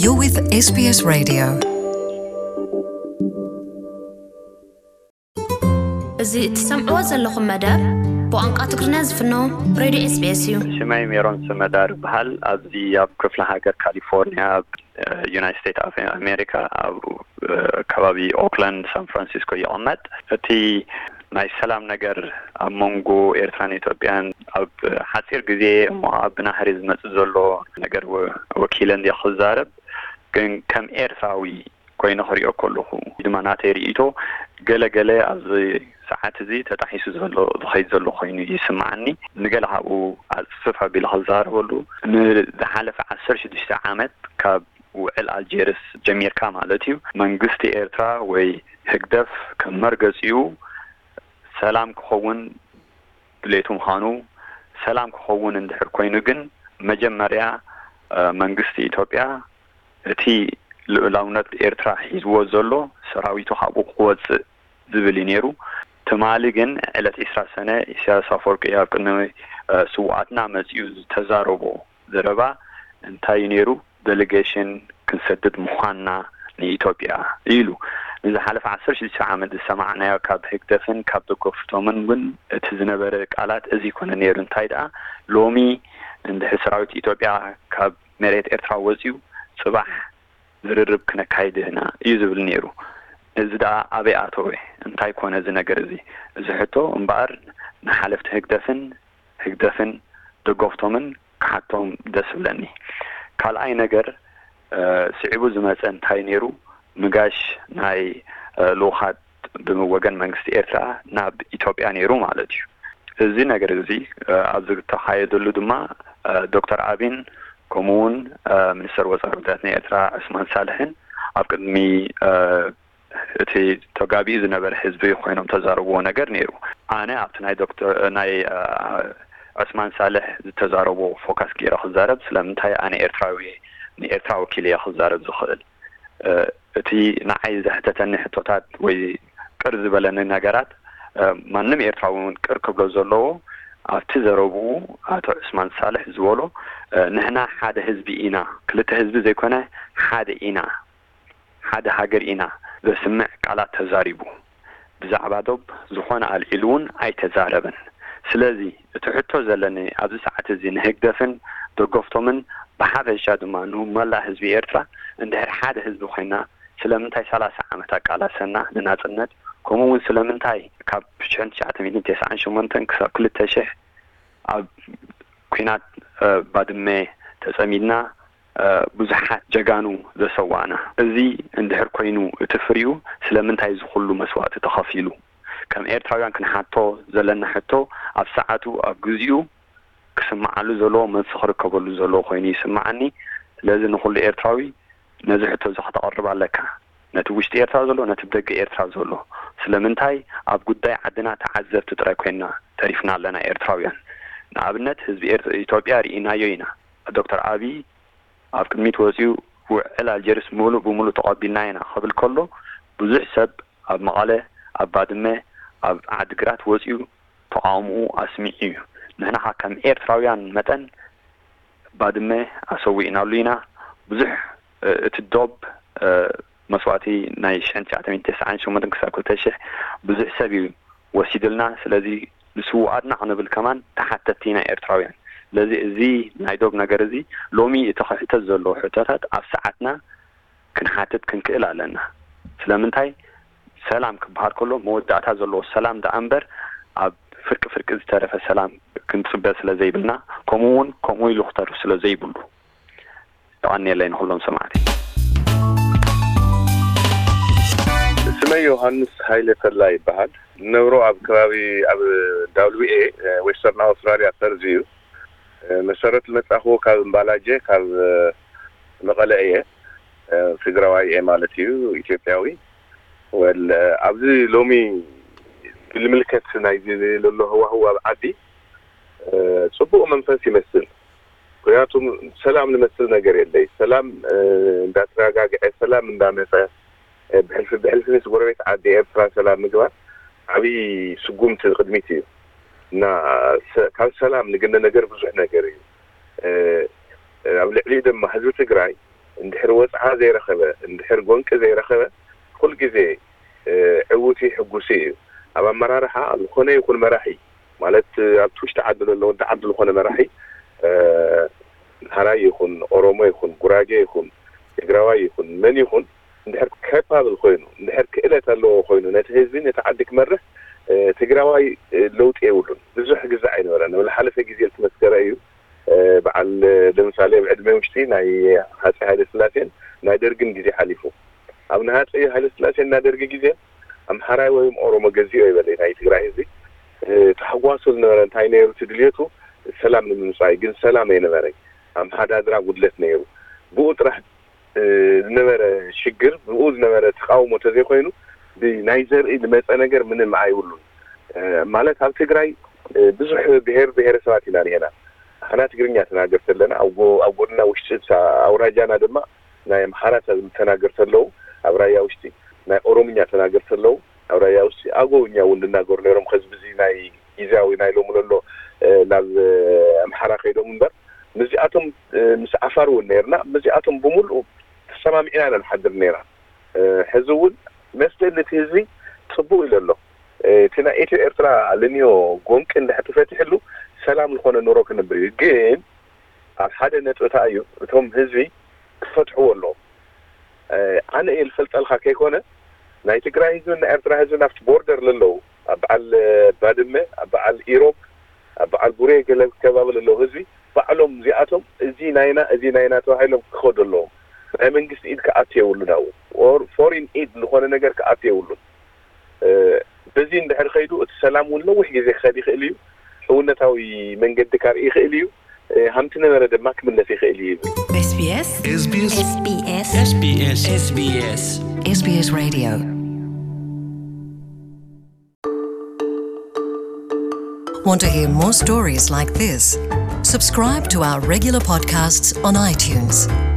You're with S B S Radio. እዚ እትሰምዕዎ ዘለኹም መደብ ብቋንቋ ትግርኛ ዝፍኖ ሬድዮ S B S እዩ። ሽመይ ሜሮን ስመዳር ይበሃል። ኣብዚ ኣብ ክፍለ ሃገር ካሊፎርኒያ ኣብ ዩናይትድ ስቴትስ ኦፍ ኣሜሪካ ኣብ ከባቢ ኦክላንድ ሳን ፍራንሲስኮ ይቕመጥ። እቲ ናይ ሰላም ነገር ኣብ መንጎ ኤርትራን ኢትዮጵያን ኣብ ሓፂር ግዜ እሞ ኣብ ብናህሪ ዝመፅእ ዘሎ ነገር ወኪለ እንድየ ክዛረብ። ግን ከም ኤርትራዊ ኮይኑ ክሪኦ ከለኹ ድማ ናተይ ርእይቶ ገለ ገለ ኣብዚ ሰዓት እዚ ተጣሒሱ ዘሎ ዝኸይድ ዘሎ ኮይኑ ይስምዓኒ። ንገለ ካብኡ ኣፅፍፍ ኣቢለ ክዛረበሉ፣ ንዝሓለፈ ዓሰርተ ሽዱሽተ ዓመት ካብ ውዕል ኣልጀርስ ጀሚርካ ማለት እዩ፣ መንግስቲ ኤርትራ ወይ ህግደፍ ከም መርገጺኡ ሰላም ክኸውን ድሌቱ ምዃኑ፣ ሰላም ክኸውን እንድሕር ኮይኑ ግን መጀመርያ መንግስቲ ኢትዮጵያ እቲ ልኡላውነት ኤርትራ ሒዝዎ ዘሎ ሰራዊቱ ካብኡ ክወፅእ ዝብል እዩ ነይሩ። ትማሊ ግን ዕለት ዒስራ ሰነ ኢሳያስ ኣፈወርቂ ኣብ ቅድሚ ስውኣትና መፂኡ ዝተዛረቦ ዘረባ እንታይ እዩ ነይሩ? ዴሌጌሽን ክንሰድድ ምዃንና ንኢትዮጵያ ኢሉ። ንዝሓለፈ ዓሰርተ ሽዱሽተ ዓመት ዝሰማዕናዮ ካብ ህግደፍን ካብ ደገፍቶምን እውን እቲ ዝነበረ ቃላት እዚ ይኮነ ነይሩ። እንታይ ደኣ ሎሚ እንድሕር ሰራዊት ኢትዮጵያ ካብ መሬት ኤርትራ ወፂኡ ፅባሕ ዝርርብ ክነካይድ ኢና እዩ ዝብል ነይሩ። እዚ ደኣ ኣበይ ኣተወ? እንታይ ኮነ እዚ ነገር እዚ? እዚ ሕቶ እምበኣር ንሓለፍቲ ህግደፍን ህግደፍን ደገፍቶምን ክሓቶም ደስ ይብለኒ። ካልኣይ ነገር ስዒቡ ዝመፀ እንታይ ነይሩ? ምጋሽ ናይ ልኡኻት ብወገን መንግስቲ ኤርትራ ናብ ኢትዮጵያ ነይሩ ማለት እዩ። እዚ ነገር እዚ ኣብ ዝተኻየደሉ ድማ ዶክተር ኣቢን ከምኡ እውን ሚኒስተር ወፃኢ ጉዳያት ናይ ኤርትራ ዑስማን ሳልሕን ኣብ ቅድሚ እቲ ተጋቢኡ ዝነበረ ህዝቢ ኮይኖም ተዛረብዎ ነገር ነይሩ። ኣነ ኣብቲ ናይ ዶክተር ናይ ዑስማን ሳልሕ ዝተዛረቦ ፎካስ ገይረ ክዛረብ ስለምንታይ ኣነ ኤርትራዊ ንኤርትራ ወኪለ እየ ክዛረብ ዝኽእል። እቲ ንዓይ ዘሕተተኒ ሕቶታት ወይ ቅር ዝበለኒ ነገራት ማንም ኤርትራዊ እውን ቅር ክብሎ ዘለዎ ኣብቲ ዘረብኡ ኣቶ ዑስማን ሳልሕ ዝበሎ ንሕና ሓደ ህዝቢ ኢና፣ ክልተ ህዝቢ ዘይኮነ ሓደ ኢና፣ ሓደ ሃገር ኢና ዘስምዕ ቃላት ተዛሪቡ። ብዛዕባ ዶብ ዝኾነ ኣልዒሉ እውን ኣይተዛረበን። ስለዚ እቲ ሕቶ ዘለኒ ኣብዚ ሰዓት እዚ ንህግደፍን ደገፍቶምን ብሓፈሻ ድማ ንመላእ ህዝቢ ኤርትራ እንድሕር ሓደ ህዝቢ ኮይና ስለምንታይ ሰላሳ ዓመት ኣቃላሰና ንናጽነት ከምኡ እውን ስለምንታይ ካብ ሽሕን ትሽዓተ ሚእትን ተስዓን ሸሞንተን ክሳብ ክልተ ሽሕ ኣብ ኲናት ባድመ ተጸሚድና ብዙሓት ጀጋኑ ዘሰዋእና። እዚ እንድሕር ኮይኑ እቲ ፍሪኡ ስለምንታይ እዚ ኩሉ መስዋእቲ ተኸፊሉ? ከም ኤርትራውያን ክንሓቶ ዘለና ሕቶ ኣብ ሰዓቱ ኣብ ግዚኡ ክስምዓሉ ዘለዎ መልሲ ክርከበሉ ዘለዎ ኮይኑ ይስምዓኒ። ስለዚ ንኹሉ ኤርትራዊ ነዚ ሕቶ እዚ ከተቕርብ ኣለካ። ነቲ ውሽጢ ኤርትራ ዘሎ፣ ነቲ ብደገ ኤርትራ ዘሎ። ስለምንታይ ኣብ ጉዳይ ዓድና ተዓዘብቲ ጥራይ ኮይንና ተሪፍና ኣለና ኤርትራውያን? ንኣብነት ህዝቢ ኤርት- ኢትዮጵያ ርኢናዮ ኢና። ዶክተር ኣብይ ኣብ ቅድሚት ወጺኡ ውዕል ኣልጀርስ ምሉእ ብምሉእ ተቐቢልና ኢና ክብል ከሎ ብዙሕ ሰብ ኣብ መቐለ፣ ኣብ ባድመ፣ ኣብ ዓድግራት ወጺኡ ተቓውምኡ ኣስሚዑ እዩ። ንሕና ኸኣ ከም ኤርትራውያን መጠን ባድመ ኣሰዊእናሉ ኢና። ብዙሕ እቲ ዶብ መስዋእቲ ናይ ሽሕን ትሽዓተ ሚእትን ተስዓን ሸሞንተን ክሳብ ክልተ ሽሕ ብዙሕ ሰብ እዩ ወሲድልና። ስለዚ ንስውኣትና ክንብል ከማን ተሓተቲ ኢና ኤርትራውያን። ስለዚ እዚ ናይ ዶብ ነገር እዚ ሎሚ እቲ ክሕተት ዘለዎ ሕቶታት ኣብ ሰዓትና ክንሓትት ክንክእል ኣለና። ስለምንታይ ሰላም ክበሃል ከሎ መወዳእታ ዘለዎ ሰላም ደኣ እምበር ኣብ ፍርቂ ፍርቂ ዝተረፈ ሰላም ክንጽበ ስለ ዘይብልና ከምኡ እውን ከምኡ ኢሉ ክተርፍ ስለ ዘይብሉ። የቐንየለይ ንኹሎም ሰማዕቲ። ስመይ ዮሃንስ ሃይለ ተላ ይበሃል። ነብሮ ኣብ ከባቢ ኣብ ዳብሊው ኤ ዌስተርን ኣውስትራሊያ ፐርዝ እዩ። መሰረት ዝመጻኽዎ ካብ እምባላጀ ካብ መቐለ እየ። ትግራዋይ እየ ማለት እዩ፣ ኢትዮጵያዊ። ወል ኣብዚ ሎሚ ብልምልከት ናይ ዘሎ ህዋህው ኣብ ዓዲ ጽቡቕ መንፈስ ይመስል። ምክንያቱ ሰላም ዝመስል ነገር የለይ። ሰላም እንዳተረጋግዐ ሰላም እንዳመፀ ብሕልፊ ብሕልፊ ምስ ጎረቤት ዓዲ ኤርትራ ሰላም ምግባር ዓብዪ ስጉምቲ ቅድሚት እዩ እና ካብ ሰላም ንግነ ነገር ብዙሕ ነገር እዩ። ኣብ ልዕሊኡ ድማ ህዝቢ ትግራይ እንድሕር ወፅዓ ዘይረኸበ፣ እንድሕር ጎንቂ ዘይረኸበ፣ ኩልግዜ ዕውቲ ሕጉሲ እዩ። ኣብ ኣመራርሓ ዝኾነ ይኹን መራሒ ማለት ኣብቲ ውሽጢ ዓዲ ዘሎ ወዲ ዓዲ ዝኾነ መራሒ፣ ኣምሓራይ ይኹን ኦሮሞ ይኹን ጉራጌ ይኹን ትግራዋይ ይኹን መን ይኹን፣ እንድሕር ኬፓብል ኮይኑ፣ እንድሕር ክእለት ኣለዎ ኮይኑ፣ ነቲ ህዝቢ ነቲ ዓዲ ክመርሕ ትግራዋይ ለውጢ የብሉን። ብዙሕ ግዛዕ ኣይነበረን። ኣብ ዝሓለፈ ግዜ ዝተመስከረ እዩ። በዓል ለምሳሌ ኣብ ዕድመ ውሽጢ ናይ ሃፀይ ሃይለ ስላሴን ናይ ደርግን ግዜ ሓሊፉ፣ ኣብ ናይ ሃፀይ ሃይለ ስላሴን ናይ ደርጊ ግዜ ኣምሓራይ ወይም ኦሮሞ ገዚኦ ይበለይ ናይ ትግራይ ህዝቢ ታሕጓሱ ዝነበረ እንታይ ነይሩ? እቲ ድልየቱ ሰላም ንምምፃእ፣ ግን ሰላም ኣይነበረይ። ኣምሓዳድራ ጉድለት ነይሩ። ብኡ ጥራሕ ዝነበረ ሽግር፣ ብኡ ዝነበረ ተቃውሞ ተዘይኮይኑ ብናይ ዘርኢ ዝመፀ ነገር ምንም ኣይብሉን። ማለት ኣብ ትግራይ ብዙሕ ብሄር ብሄረሰባት ኢና ንሄና። ኣና ትግርኛ ተናገርቲ ኣለና ኣብ ጎድና ውሽጢ ኣውራጃና ድማ ናይ ኣምሓራ ተናገርቲ ኣለዉ። ኣብ ራያ ውሽጢ ናይ ኦሮምኛ ተናገርቲ ኣለዉ። ኣብ ራያ ውሽጢ ኣጎውኛ እውን ዝናገሩ ነይሮም። ከዚ ብዚ ናይ ግዜያዊ ናይ ሎሚ ለሎ ናብ ኣምሓራ ከይዶም እምበር ምስዚኣቶም ምስ ዓፋር እውን ነርና ምስዚኣቶም ብምሉእ ተሰማሚዕና ኢና ንሓድር ነርና። ሕዚ እውን መስል እቲ ህዝቢ ፅቡቅ ኢሉ ኣሎ። እቲ ናይ ኢትዮ ኤርትራ ልንዮ ጎንቂ እንድሕር ተፈቲሕሉ ሰላም ዝኾነ ኑሮ ክንብር እዩ። ግን ኣብ ሓደ ነጥብታ እዩ እቶም ህዝቢ ክፈትሕዎ ኣለዎም። ኣነ እየ ዝፈልጠልካ ከይኮነ ናይ ትግራይ ህዝብን ናይ ኤርትራ ህዝብን ኣብቲ ቦርደር ለለዉ ኣብ በዓል ባድመ ኣብ በዓል ኢሮብ ኣብ በዓል ቡሬ ገለ ከባቢ ለለዉ ህዝቢ ባዕሎም እዚኣቶም እዚ ናይና እዚ ናይና ተባሂሎም ክኸዱ ኣለዎም። ናይ መንግስቲ ኢድ ክኣቱ የብሉን። ኣብኡ ፎሪን ኢድ ዝኾነ ነገር ክኣቱ የብሉን። በዚ እንድሕር ከይዱ እቲ ሰላም እውን ነዊሕ ግዜ ክኸድ ይኽእል እዩ። ሕውነታዊ መንገዲ ካርኢ ይኽእል እዩ። ሃምቲ ነበረ ድማ ክምለስ ይኽእል እዩ ይብል። SBS SBS SBS SBS SBS Radio. Want to hear more stories like this? Subscribe to our regular podcasts on iTunes.